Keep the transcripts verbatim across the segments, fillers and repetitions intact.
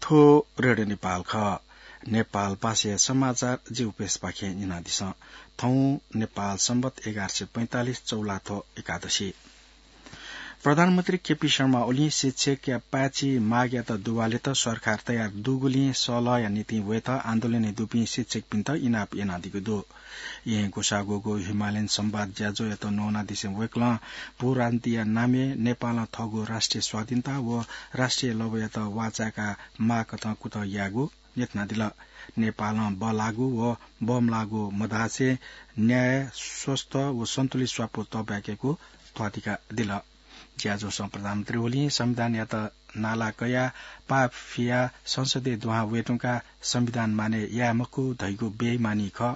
थ्व रेडियो नेपाल खः। नेपाल भाषाया समाचार जि उपेशपाखें न्यनादिसँ। थौं नेपाल संवत एघार सय पैंतालिस चौलाथ्व एकादशी। प्रधानमन्त्री केपी शर्मा ओलीं शिक्षकया पाय्छि मागयात दुवालेत सरकार तयार दुगुलिं सलहया निंतिं वयेत आन्दोलनय् दुपिं शिक्षकपिन्त इनाप यानादीगु दु। येँ ग्वसाःग्वःगु हिमालयन संवाद ज्याझ्वःयात न्वनादिसें वय्कलं भूराजनीतिया नामय् नेपालं थःगु राष्ट्रिय स्वाधीनता व राष्ट्रिय लवय्यात वाःचाय्का माःकथं कुतः याःगु न्ह्यथनादिल। नेपालं बल्लाःगु व बमलाःगु मधासे न्याय, स्वस्थ व सन्तुलित स्वापू तःब्याकेगु ध्वातिकादिल। ज्याझ्वलं प्रधानमन्त्री ओलीं संविधानयात नाला कयाः पाः फियाः संसदय् दुहां वयेधुंकाः संविधान मानय् याये मखु धइगु बेइमानी खः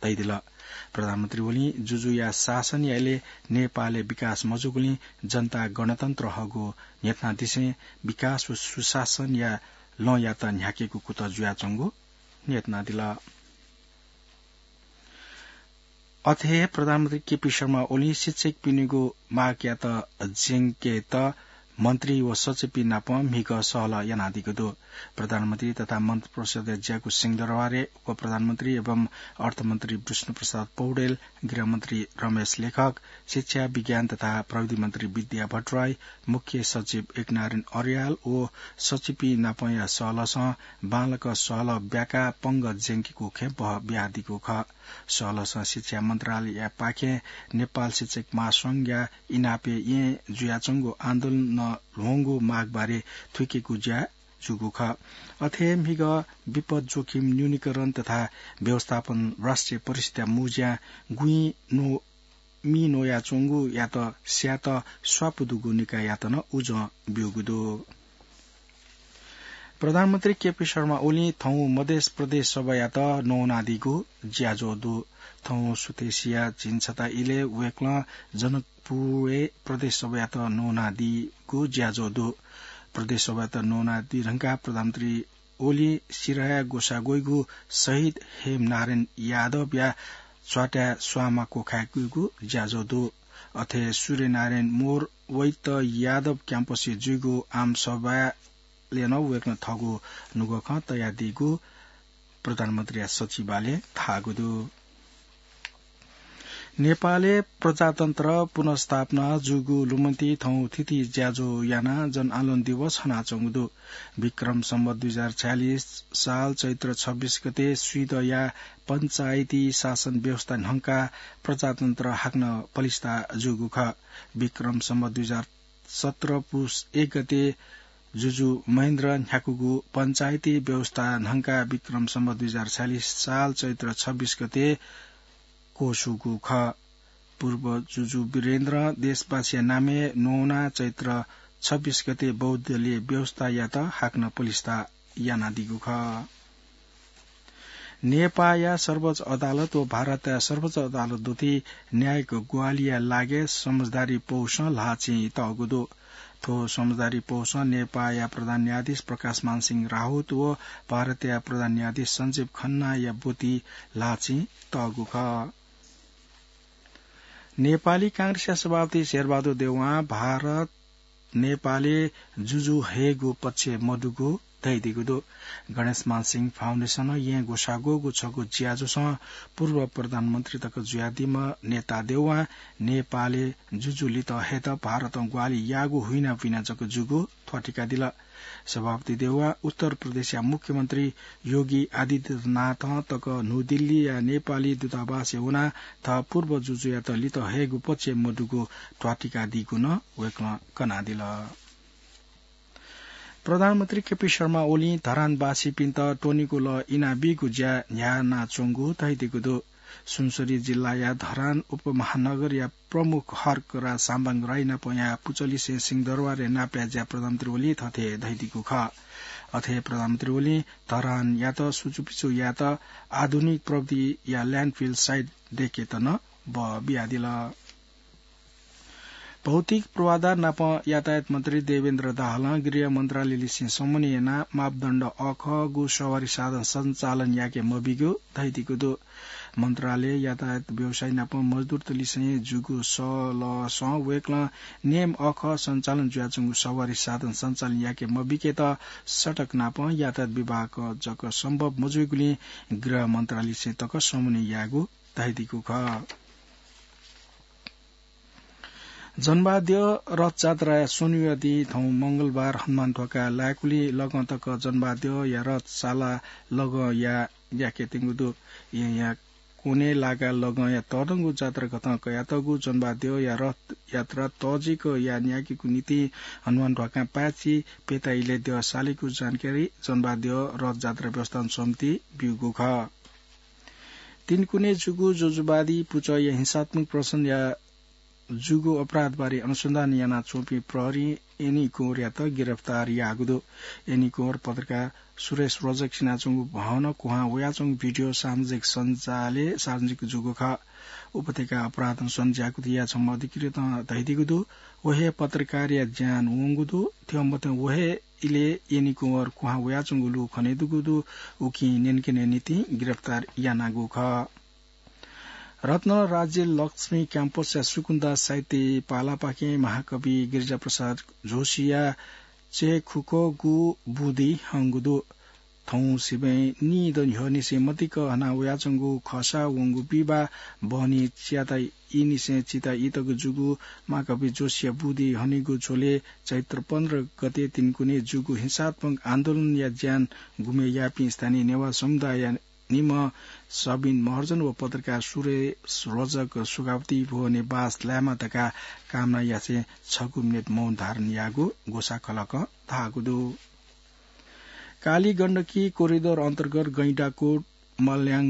धयादिल। प्रधानमन्त्री ओलीं जुजुया शासनया इलय् नेपालय् विकास मजूगुलिं जनता गणतन्त्र हःगु न्ह्यथनादिसें विकास व सुशासनया लँयात न्ह्याकेगु कुतः जुयाच्वंगु न्ह्यथनादिल। अथे हे प्रधानमन्त्री केपी शर्मा ओलीं शिक्षकपिनिगु मागयात ज्यंकेत मन्त्री व सचिवपिं नाप म्हिगः सहलह यानादीगु दु। प्रधानमन्त्री तथा मन्त्रिपरिषदय् ज्याःगु सिंहदरबारय् उपप्रधानमन्त्री एवं अर्थमन्त्री विष्णुप्रसाद पौडेल, गृहमन्त्री रमेश लेखक, शिक्षा, विज्ञान तथा प्रविधि मन्त्री विद्या भट्टराई, मुख्य सचिव एकनारायण अर्याल व सचिवपिं नापया सहलहसं बांलाक सहलह ब्याकाः पंगः ज्यंकेगु खँय् बहः बियादीगु खः। सहलहसं शिक्षा मन्त्रालयपाखें नेपाल शिक्षक महासंघया इनापय् येँ जुयाच्वंगु आन्दोलनं ल्ह्वंगु मागबारे थुइकेगु ज्या जूगु खः। अथे हे म्हिगः विपद जोखिम न्यूनीकरण तथा व्यवस्थापन राष्ट्रिय परिषदया मुँज्यां गुँइ न्व-, मि न्वयाच्वंगुयात स्यायेत स्वापू दुगु निकाययात नं उजं ब्यूगु दु। प्रधानमन्त्री केपी शर्मा ओलीं थौं मधेस प्रदेश सभायात न्वनादीगु ज्याझ्वः दु। थौं सुथसिया झिंछता इलय् वय्कलं जनकपुरय् प्रदेश सभायात न्वनादीगु ज्याझ्वः दु। प्रदेश सभायात न्वनादी धुंकाः प्रधानमन्त्री ओलीं सिराहाय् ग्वसाः ग्वइगु शहीद हेमनारायण यादवया च्वाताय् स्वांमा क्वखाय्केगु ज्याझ्वः दु। अथे सूर्यनारायण मोर वैद्य यादव क्याम्पसय् जुइगु आमसभाय् नं वय्कलं थःगु नुगः खँ तयादीगु प्रधानमन्त्रीया सचिवालयं धाःगु दु। नेपालय् प्रजातन्त्र पुनर्स्थापना जूगु लुमन्ति थौं थीथी ज्याझ्वः यानाः जनआन्दोलन दिवस हनाच्वंगु दु। विक्रम सम्वत दुई हजार छयालिस साल चैत्र छब्बीस गते स्वीदँया पञ्चायती शासन व्यवस्था न्हंकाः प्रजातन्त्र हाकनं पलिस्था जूगु खः। विक्रम सम्वत दुई हजार सत्र पुस एक गते जुजु महेन्द्र न्ह्याकूगु पञ्चायती व्यवस्था न्हंकाः विक्रम सम्वत दुई हजार छयालिस साल चैत्र छब्बीस गते क्वछुगु खः। पूर्व जुजु वीरेन्द्रं देशवासीया नामय् न्वना चैत्र छब्बीस गते बहुदलीय व्यवस्थायात हाकनं पलिस्था यानादीगु खः। नेपाःया सर्वोच्च अदालत व भारतया सर्वोच्च अदालत दुथि न्यायिक ग्वाहालिया लागि समझदारी पौसं ल्हाःचिं तःगु दु। थ्व समझदारी पौसं नेपाःया प्रधान न्यायाधीश प्रकाशमान सिंह राउत व भारतया प्रधान न्यायाधीश सञ्जीव खन्नाया ब्वति ल्हाःचिं तःगु खः। नेपाली कांग्रेसया सभापति शेरबहादुर देउवां भारत नेपालय् जुजु हयेगु पक्षय् मदुगु धयादीगु दु। गणेशमान सिंह फाउन्डेसनं येँ ग्वसाः ग्वःगु छगू ज्याझ्वलय् पूर्व प्रधानमन्त्री तक जुयादीम्ह नेता देउवां नेपालय् जुजु लित हयेत भारतं ग्वाहालि याःगु हुइनापुइना जक जूगु ध्वाथुइकादिल। सभापति देउवां उत्तर प्रदेशया मुख्यमन्त्री योगी आदित्यनाथं तक न्हू दिल्लीया नेपाली दूतावासय् वनाः थः पूर्व जुजुयात लित हयेगु पक्षय् मदुगु ध्वाथुइकादीगु नं वय्कलं कनादिल। प्रधानमन्त्री केपी शर्मा ओलीं धरानवासीपिन्त त्वनेगु लः इनाबीगु ज्या न्ह्यानाच्वंगु धयादीगु दु। सुनसरी जिल्लाया धरान उपमहानगरया प्रमुख हर्कराज साम्बाङ राई नापं यानाः पुचःलिसे सिंहदरबारय् नापलाये ज्या प्रधानमन्त्री ओलीं थथे धयादीगु खः। अथे प्रधानमन्त्री ओलीं धरानयात सुचुपिचु यायेत आधुनिक प्रविधिया ल्याण्डफिल साइट दयेकेत नं बः बियादिल। भौतिक पूर्वाधार नाप यातायात मन्त्री देवेन्द्र दाहालं गृह मन्त्रालयलिसें समन्वय यानाः मापदण्ड अखःगु सवारी साधन सञ्चालन याके मबीगु धयादीगु दु। मन्त्रालय यातायात व्यवसायी नाप मजदुरतलिसें जूगु सलसं वय्कलं नेम अःखः सञ्चालन जुयाच्वंगु सवारी साधन सञ्चालन याके मबिकेत सडक नाप यातायात विभाग जक सम्भव मजुइगुलिं गृह मन्त्रालयसें तक समन्वय यायेगु धयादीगु खः। जनबाद्यः रथजात्राया स्वन्हुया दिं थौं मंगलबार हनुमान ध्वाखा लाय्कुलि लगं तक जनबाद्यःया रथ साला लगं या याकेत्यंगु दु। येँया कोने लागा लगंया तःधंगु जात्राकथं कयातःगु जनबाद्यःया रथ यात्रा तःजिक याये न्यायेकेगु निंतिं हनुमान ध्वाखां पाय्छि प्यता इलय् द्यः सालीगु जानकारी जनबाद्यः रथजात्रा व्यवस्थापन समितिं ब्यूगु खः। तिनकुने जूगु जोजुवादी पुचःया हिंसात्मक प्रदर्शनया जूगु अपराधबारे अनुसन्धान यानाच्वंपिं प्रहरीं एनी कुँवरयात गिरफ्तार याःगु दु। एनी कुँवर पत्रकार सुरेश रोजक सिनाच्वंगु भवनं कुहां वयाच्वंगु भिडियो सामाजिक सञ्जालय् सार्वजनिक जूगु खः। उपत्यका अपराध अनुसन्धान ज्याकुथिया छम्ह अधिकृतं धयादीगु दु। व हे पत्रकारया ज्यान वंगु दु। थ्यंमथ्यं व हे इलय् एनी कुँवर कुहां वयाच्वंगु लु खनेदुगु दु। उकिं न्यनेकने निंतिं गिरफ्तार यानागु खः। रत्न राज्य लक्ष्मी क्याम्पसया सुकुन्दा साहित्य पालापाखें महाकवि गिरिजाप्रसाद जोशीया चय्खुकःगु बुँदि हंगु दु। थौं सिबें निदँ न्ह्यःनिसें मदिक्क हना वयाच्वंगु खःसा वंगु बिहिबाः बहनी चियाता ईनिसें चिता ईतक जूगु महाकवि जोशीया बुँदि हनीगु झ्वलय् चैत्र पन्ध्र गते तिनकुने जूगु हिंसात्मक आन्दोलनया ज्यान गुमे याःपिं स्थानीय नेवाः समुदायया निम्ह सबिन महर्जन व पत्रकार सुरेश रोजक सुखावती भुवने बास लायेमा धकाः कामना यासें छगू मिनेट मौन धारण याःगु ग्वसाः खलकं धाःगु दु। काली गण्डकी कोरिडोर अन्तर्गत गैंडाकोट मल्याङ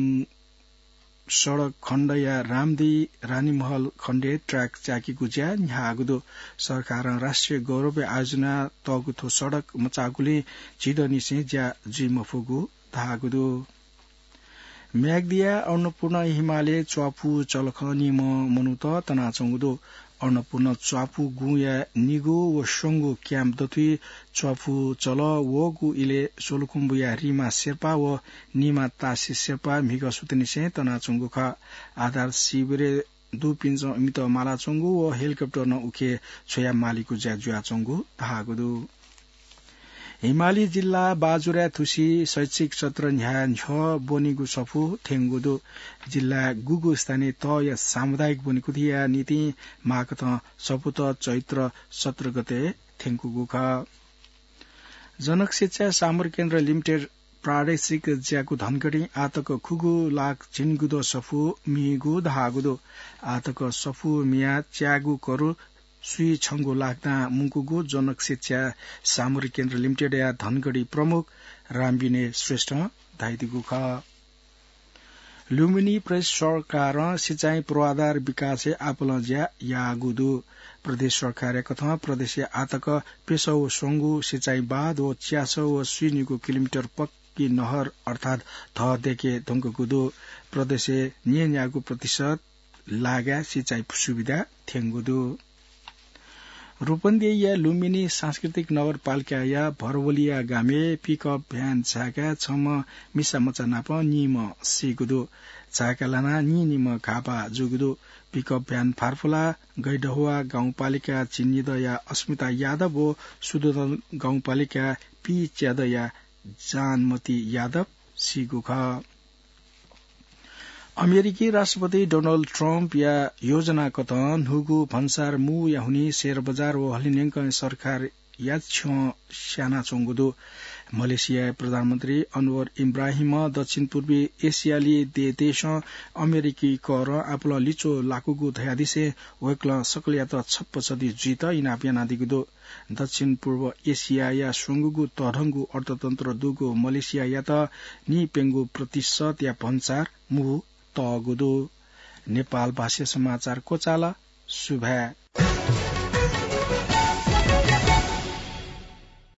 सडक खण्डया रामदी रानीमहल खण्डय् ट्र्याक च्याकेगु ज्या न्ह्याःगु दु। सरकारं राष्ट्रिय गौरवय् आयोजना तःगु थ्व सडक मचाःगुलिं झिदँनिसें ज्या जुइ मफुगु धाःगु दु। म्याग्दीया अन्नपूर्ण हिमालय च्वापु चलखं निम्ह मनूत तनाच्वंगु दु। अन्नपूर्ण च्वापु गुँया निगू व स्वंगू क्याम्प दथुइ च्वापु चलः वःगु इलय् सोलुखुम्बुया रिमा शेर्पा व निमा तासी शेर्पा म्हिगः सुथंनिसें तनाच्वंगु खः। आधार शिविरय् दुपिन्सं इमित मालाच्वंगु व हेलिकप्टरं उखे छ्वया मालीगु ज्या जुयाच्वंगु धाःगु दु। हिमाली जिल्ला बाजुराय् थुसी शैक्षिक सत्र न्ह्याः न्ह्यः ब्वनीगु सफू थ्यंगु दु। जिल्लाय् गुगु स्थानीय तहया सामुदायिक ब्वनीकुथिया निंतिं माःकथं सफूत चैत्र सत्र गते थ्यंकूगु खः। जनक शिक्षा सामग्री केन्द्र लिमिटेड प्रादेशिक ज्याकू धनगढीं आःतक खुगू लाख झिंगुद्वः सफू मीगु धाःगु दु। आःतक सफू मियाः च्यागू करोड स्वीछंगू लाख दां मुंकूगु जनक शिक्षा सामग्री केन्द्र लिमिटेडया धनगढी प्रमुख रामविनय श्रेष्ठं धयादीगु खः। लुम्बिनी प्रदेश सरकारं सिँचाइ पूर्वाधार विकासय् आपालं ज्या याःगु दु। प्रदेश सरकारया कथं प्रदेशय् आःतक प्यसः व स्वंगू सिँचाइ बाँध व च्यासः व स्वीनिगू किलोमिटर पक्की नहर अर्थात् धः दयेके धुंकूगु दु। प्रदेशय् न्यय्न्यागू प्रतिशत लागाय् सिँचाइ सुविधा थ्यंगु दु। रूपन्देहीया लुम्बिनी सांस्कृतिक नगरपालिकाया भरवलिया गामय् पिकअप भ्यान झाय्काः छम्ह मिसा मचा नाप निम्ह सीगु दु। झाय्का लानाः नीनिम्ह घाःपाः जूगु दु। पिकअप भ्यान फार्फुला गैडहुवा गाउँपालिका झिंनिदँया अस्मिता यादव व सुदुदन गाउँपालिका पीच्यादँया जानमती यादव सीगु खः। अमेरिकी राष्ट्रपति डोनाल्ड ट्रम्पया योजना कथं न्हूगु भन्सार मूया हुनिं सेयर बजार व हलिंन्यंकं सरकार याच्छ्यं स्यानाच्वंगु दु। मलेसियाया प्रधानमन्त्री अनवर इब्राहिमं दक्षिण पूर्वी एसियाली देदेशं अमेरिकी करं आपालं लिच्वः लाकूगु धयादिसें वय्कलं सकलयात छप्पसदी जुइत इनाप यानादीगु दु। दक्षिण पूर्व एसियाया स्वंगूगु तःधंगु अर्थतन्त्र दुगु मलेसियायात नीप्यंगू प्रतिशतया भन्सार मू तःगु दु। नेपाल भाषा समाचार क्वचाल। सुभाय्।